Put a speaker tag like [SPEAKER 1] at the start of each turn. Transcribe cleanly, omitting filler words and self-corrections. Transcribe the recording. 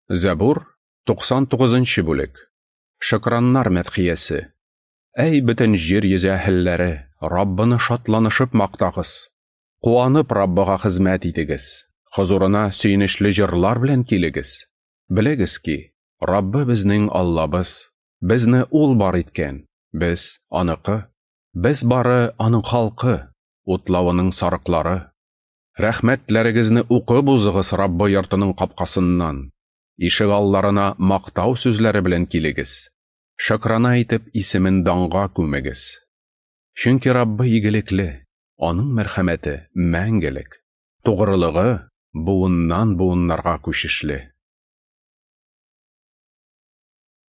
[SPEAKER 1] Зәбур, 99 бүлек. Шөкраннар мәдхиясе. Әй, бөтен җир йөзе әһелләре, Раббыны шатланышып мактагыз. Куанып Раббыга хезмәт итегез. Хозурына сөенечле җырлар белән килегез. Белегез ки, Раббы безнең Аллабыз. Безне Ул бар иткән, без аныкы. Без бары аның халкы, утлавының сарыклары. Рәхмәтләрегезне укып узыгыз Раббы йортының капкасыннан. Ишек алларына мактау сүзләре белән килегез. Шөкрана итеп исемен данга күмегез. Чөнки Раббы игелекле, аның мәрхәмәте мәңгелек, тугрылыгы буыннан буыннарга күчешле.